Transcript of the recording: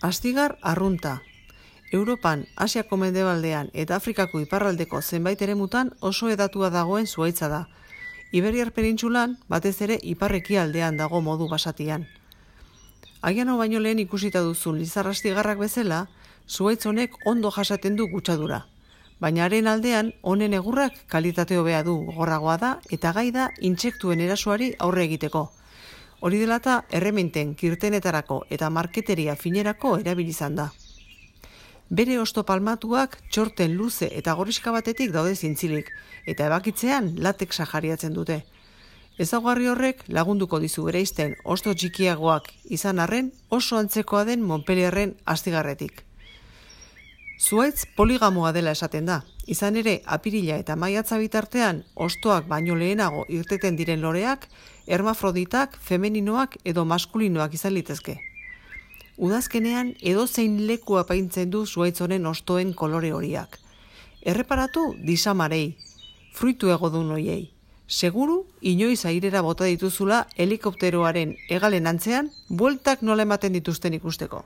Astigar arrunta. Europan, Asiako mendebaldean eta Afrikako iparraldeko zenbait eremutan oso hedatua dagoen zuhaitza da. Iberiar penintsulan, batez ere ipar-ekialdean dago modu basatian. Agian hau baino lehen ikusita duzun lizar astigarrak bezala, zuhaitz honek ondo jasaten du gutxadura. Baina haren aldean, honen egurrak kalitate hobea du, gogorragoa da eta gai da intsektuen erasoari aurre egiteko. Hori dela eta errementen, kirtenetarako eta marketeria finerako erabilizan da. Bere hosto palmatuak txorten luze eta gorriska batetik daude zintzilik, eta ebakitzean latexa jariatzen dute. Ezaugarri horrek lagunduko dizu bereizten hosto txikiagoak izan arren oso antzekoa den Montpellierren astigarretik. Zuhaitz poligamoa dela esaten da, izan ere apirila eta maiatza bitartean hostoak baino lehenago irteten diren loreak, hermafroditak, femeninoak edo maskulinoak izan litezke. Udazkenean edozein leku apaintzen du zuhaitz honen hostoen kolore horiak. Erreparatu disamarei, fruitu egodun hoiei. Seguru, inoiz airera bota dituzula helikopteroaren hegalen antzean, bueltak nola ematen dituzten ikusteko.